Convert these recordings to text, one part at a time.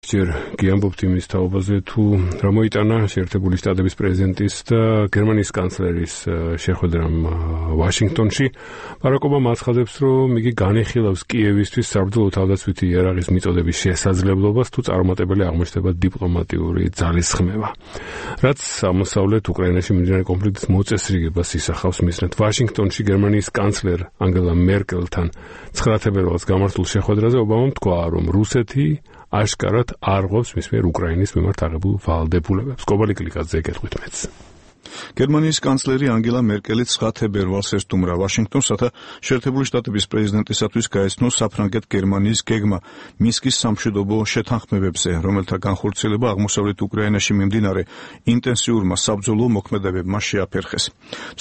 ჯერ გიამბობთ იმის თაობაზე თუ რა მოიტანა შეერთებული შტატების პრეზიდენტის და გერმანიის კანცლერის შეხვედრამ ვაშინგტონში. ბარაკ ობამა აცხადებს, რომ იგი განიხილავს კიევისთვის საბრძოლო თავდაცვითი იარაღის მიწოდების შესაძლებლობას, თუ წარუმატებელი აღმოჩნდება დიპლომატიური ძალისხმევა. რაც აღმოსავლეთ უკრაინაში მიმდინარე კონფლიქტის მოწესრიგებას ისახავს მისნად. ვაშინგტონში გერმანიის კანცლერ ანგელა მერკელთან 9 თებერვალს გამართულ შეხვედრაზე ობამამ თქვა, რომ რუსეთი აშკარად არღვევს მის მიერ უკრაინის მიმართ აღებულ ვალდებულებებს. კობალი კლიკაძე ეკეთხვით მეც. გერმანიის კანცლერი ანგელა მერკელი 9 თებერვალს ესტუმრა ვაშინგტონს, რათა შეერთებული შტატების პრეზიდენტისათვის გაეცნოს საფრანგეთ-გერმანიის გეგმა მინსკის სამშვიდობო შეთანხმებებზე, რომელთა განხორციელება აღმოსავლეთ უკრაინაში მიმდინარე ინტენსიურმა საბრძოლო მოქმედებებმა შეაფერხეს.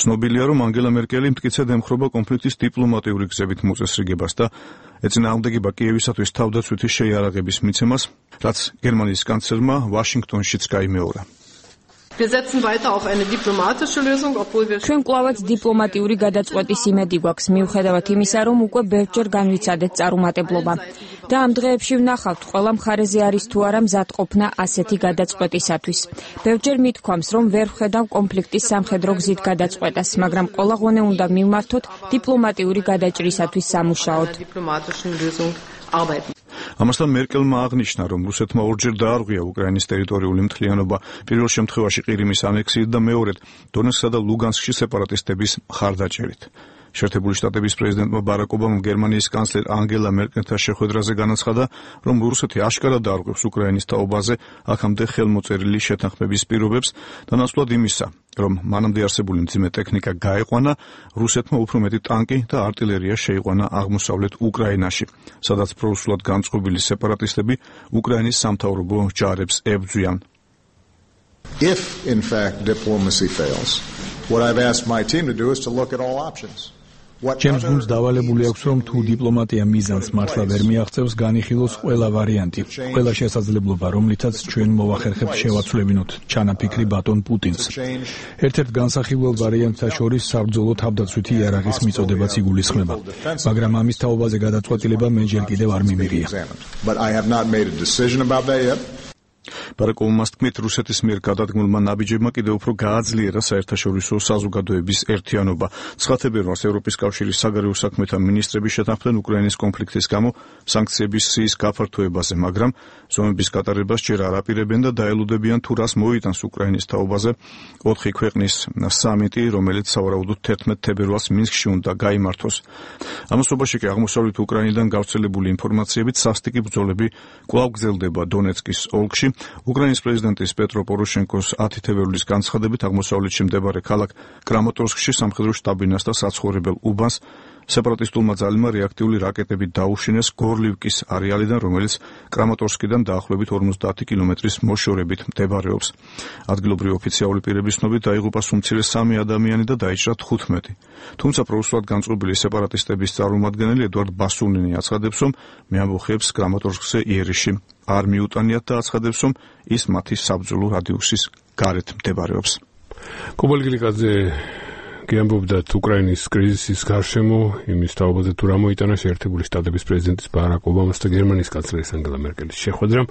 ცნობილია, რომ ანგელა მერკელი მტკიცედ ემხრობა კონფლიქტის დიპლომატიური გზებით მოწესრიგებას და ეწინააღმდეგება კიევისათვის თავდაცვითი შეიარაღების მიცემას, რაც გერმანიის კანცლერმა ვაშინგტონშიც გაიმეორა. ჩვენ კვლავაც დიპლომატიური გადაწყვეტის იმედი გვაქვს, მიუხედავად იმისა, რომ უკვე ბევრჯერ განვიცადეთ წარუმატებლობა. და ამ დღეებში ვნახავთ, ყველა მხარეზე არის თუ არა მზადყოფნა ასეთი გადაწყვეტისათვის. ბევრჯერ მithქვამს, რომ ვერ ვხედავ კონფლიქტის სამხედრო გზით გადაწყვეტას, მაგრამ ყველა ღონე უნდა მივმართოთ დიპლომატიური გადაჭრისათვის სამუშაოდ. ამასთან მერკელმა აღნიშნა, რომ რუსეთმა ორჯერ დაარღვია უკრაინის ტერიტორიული მთლიანობა, პირველ შემთხვევაში ყირიმის ანექსიით და მეორედ დონეცკსა და ლუგანსკში სეპარატისტების მხარდაჭერით. შეერთებული შტატების პრეზიდენტმა ბარაკ ობამამ გერმანიის კანცლერ ანგელა მერკელთან შეხვედრაზე განაცხადა, რომ რუსეთი აშკარად დაარღვევს უკრაინის თაობაზე აქამდე ხელმოწერილი შეთანხმების პირობებს და ნაცვლად იმისა, რომ მანამდე არსებული მძიმე ტექნიკა გაეყვანა, რუსეთმა უფრო მეტი ტანკი და артиллерია შეიყვანა აღმოსავლეთ უკრაინაში, სადაც პრორუსულად განწყობილი სეპარატისტები უკრაინის სამთავრობო ჯარებს ებრძვიან. If in fact diplomacy fails, what I've asked my team to do is to look at all options. ჩემს გუნდს დავალებული აქვს, რომ თუ დიპლომატია მიზანს მართლა ვერ მიაღწევს, განიხილოს ყველა ვარიანტი, ყველა შესაძლებლობა, რომლითაც ჩვენ მოვახერხებთ შევაცვლებინოთ ჩანაფიქრი ბატონ პუტინს. ერთ-ერთ განსახილველ ვარიანტთა შორის საბრძოლო თავდაცვითი იარაღის მიწოდებაც იგულისხმება, მაგრამ ამის თაობაზე გადაწყვეტილება მე ჯერ კიდევ არ მიმიღია. ბარაკ ობამას თქმით, რუსეთის მიერ გადადგმულმა ნაბიჯებმა კიდევ უფრო გააძლიერა საერთაშორისო საზოგადოების ერთიანობა. 9 თებერვალს ევროპის კავშირის საგარეო საქმეთა მინისტრები შეთანხმდნენ უკრაინის კონფლიქტის გამო სანქციების სიის გაფართოებაზე, მაგრამ ზომების გატარებას ჯერ არ აპირებენ და დაელოდებიან თუ რას მოიტანს უკრაინის თაობაზე 4 ქვეყნის სამიტი, რომელიც სავარაუდოდ 11 თებერვალს მინსკში უნდა გაიმართოს. ამასობაში კი აღმოსავლეთ უკრაინიდან გავრცელებული ინფორმაციებით სასტიკი ბრძოლები კვლავ გრძელდება დონეცკის ოლქში. უკრაინის პრეზიდენტის პეტრო პოროშენკოს 10 თებერვლის განცხადებით აღმოსავლეთში მდებარე ქალაქ კრამატორსკში სამხედრო შტაბინას და საცხოვრებელ უბანს სეპარატისტულმა ძალებმა რეაქტიული რაკეტები დაუშინეს გორლივკის არეალიდან, რომელიც კრამატორსკიდან დაახლოებით 50 კილომეტრის მოშორებით მდებარეობს. ადგილობრივი ოფიციალური პირების ცნობით დაიღუპა უმცირე 3 ადამიანი და დაიჭრა 15. თუმცა პრორუსულად განწყობილი სეპარატისტების წარმომადგენელი ედვარდ ბასუნინი აცხადებს, რომ მე ამბოხებს კრამატორსკზე იერიში არ მიუტანიათ და აცხადებს, რომ ის მათი საბრძოლო რადიუსის გარეთ მდებარეობს. კობალი კლიკაძე გიამბობდა უკრაინის კრიზისის გარშემო იმის თაობაზე თუ რა მოიტანა შეერთებული შტატების პრეზიდენტის ბარაკ ობამას და გერმანიის კანცლერის ანგელა მერკელის შეხვედრამ.